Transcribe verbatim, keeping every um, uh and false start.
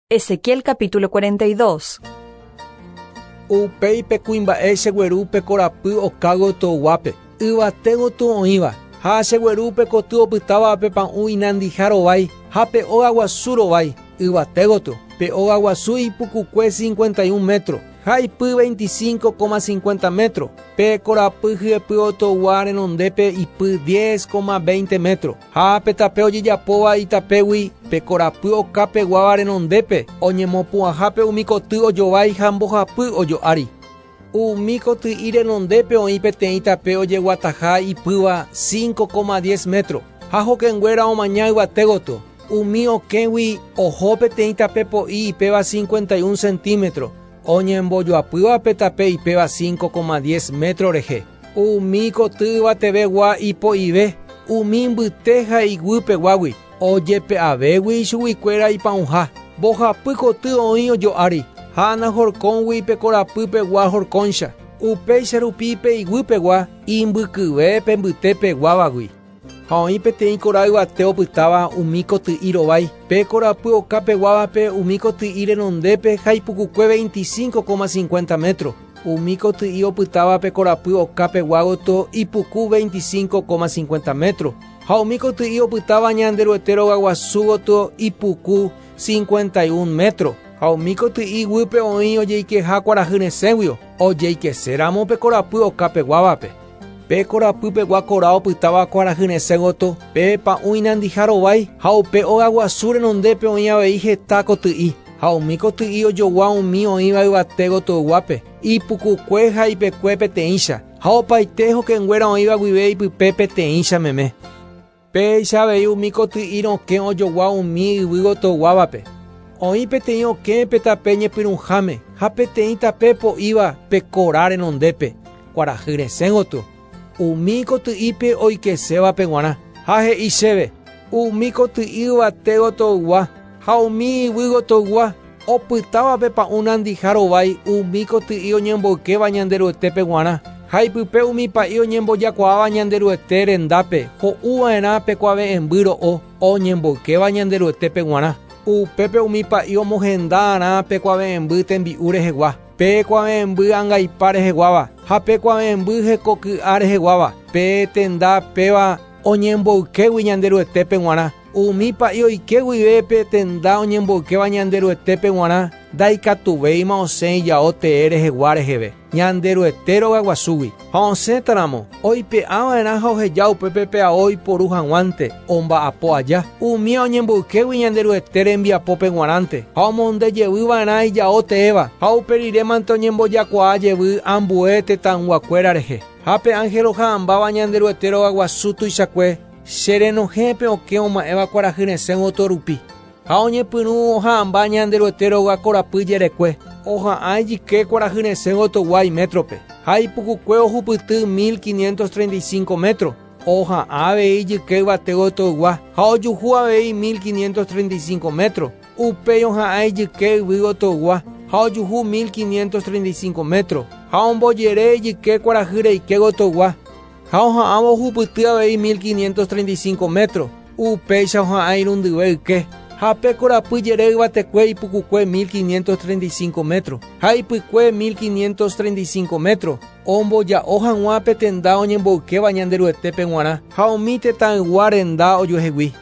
Ezequiel capítulo cuarenta y dos. Upéi pe kuimba'e chegueru pe korapy okágotyo guápe, yvatégotyo oĩva, ha chegueru pe koty opytáva pe pa'ũ inandiha rovái ha pe óga guasu rovái, yvatégotyo, pe óga guasu ipukukue cincuenta y un metro, ha ipy veinticinco coma cincuenta metro, pe korapy hyepýgotyo renondépe ipy diez coma veinte metro, ha pe tape ojejapóva itapégui pe korapy okapeguáva renondépe oñemopu'ãhápe umi koty ojovái ha mbohapy ojo'ári. Umi koty'i renondépe oĩ peteĩ tape ojeguataha ipýva cinco coma diez metro, ha hokẽnguéra omaña yvatégotyo. Umi okẽgui oho peteĩ tape po'i ipéva cincuenta y un centímetro, oñembojoapýva pe tape ipéva cinco coma diez metro rehe. Umi koty yvatevegua ipo'ive, umi mbyte ha iguýpeguágui, ojepe'avégui ichuguikuéra ipa'ũha. Mbohapy koty oĩ ojo'ári, ha nahorkõgui pe korapýpegua horkõicha. Upéicha rupi pe iguýpegua imbykyve pe mbytépeguávagui. Ha oĩ peteĩ kora yvate opytáva umi koty'i rovái, pe korapy okapeguávape umi koty'i renondépe ha ipukukue veinticinco coma cincuenta metro. Umi koty'i opytáva pe korapy okapeguágotyo ipuku veinticinco coma cincuenta metro. Ha umi koty'i opytáva Ñanderuete rogaguasúgotyo ipuku cincuenta y un metro. Ha umi koty'i guýpe oĩ ojeikeha kuarahy resẽguio, ojeikeséramo pe korapy okapeguávape. Pe korapýpegua kora opytáva kuarahy resẽgotyo, pe pa'ũ inandiha rovái, ha upe óga guasu renondépe oĩ avei heta koty'i. Ha umi koty'i ojogua umi oĩva yvatégotyoguápe, ipukukue ha ipekue peteĩcha, ha opaite hokẽnguéra oĩva guive ipype peteĩcha meme. Péicha avei umi koty'i rokẽ ojogua umi yvýgotyoguávape. Oĩ peteĩ okẽ pe tape ñepyrũháme ha peteĩ tape po'íva pe kora renondépe, kuarahy resẽgotyo. Umi koty'ípe oikesévape g̃uarã, ha he'i chéve, umi koty'i yvatégotyoygua ha umi yvýgotyoygua opytáva pe pa'ũ nandiha rovái umi koty'i oñemboykéva Ñanderuetépe g̃uarã, ha ipype umi pa'i oñembojakuaáva Ñanderuete rendápe ho'uva'erã pe kuave'ẽmby ro'o oñemboykéva Ñanderuetépe g̃uarã. Upépe umi pa'i omohenda'arã pe kuave'ẽmby tembi'u rehegua, pe kuave'ẽmby angaipa reheguáva, ha pe kuave'ẽmby hekoky'a reheguáva, pe tenda péva oñemboykégui Ñanderuetépe g̃uarã. Umi pa'i oike guive pe tenda oñemboykéva Ñanderuetépe g̃uarã, ndaikatuvéima osẽ ijao tee rehegua reheve, Ñanderuete rogaguasúgui. Ha osẽtaramo, oipe'ava'erã ha oheja upépe pe ao iporu hag̃uánte, omba'apo aja. Umi oñemboykégui Ñanderuete rembiapópe g̃uarãnte, ha omondejevýva'erã ijao teéva, ha uperirémante oñembojakuaa jevy ambue tetãyguakuéra rehe. Ha pe ángel oha'ãmbáva Ñanderuete rogaguasu tuichakue, cherenohẽpe okẽ oma'ẽva kuarahy resẽgotyo rupi. Ha oñepyrũ oha'ãmba Ñanderuete róga korapy jerekue, oha'ã ijyke kuarahy resẽgotyogua imétrope, ha ipukukue ohupyty mil quinientos treinta y cinco metro, oha'ã avei ijyke yvatégotyoygua ha ojuhu avei mil quinientos treinta y cinco metro, upéi oha'ã ijyke yvýgotyoygua ha ojuhu mil quinientos treinta y cinco metro, ha ombojere ijyke kuarahy reikégotyoygua, ha oha'ãvo ohupyty avei mil quinientos treinta y cinco metro, upéicha oha'ã irundyve yke. Ha pe korapy jere yvatekue ipukukue mil quinientos treinta y cinco metro, ha ipykue mil quinientos treinta y cinco metro, omboja'o hag̃ua pe tenda oñemboykéva Ñanderuetépe g̃uarã, ha umi tetãygua renda ojuehegui.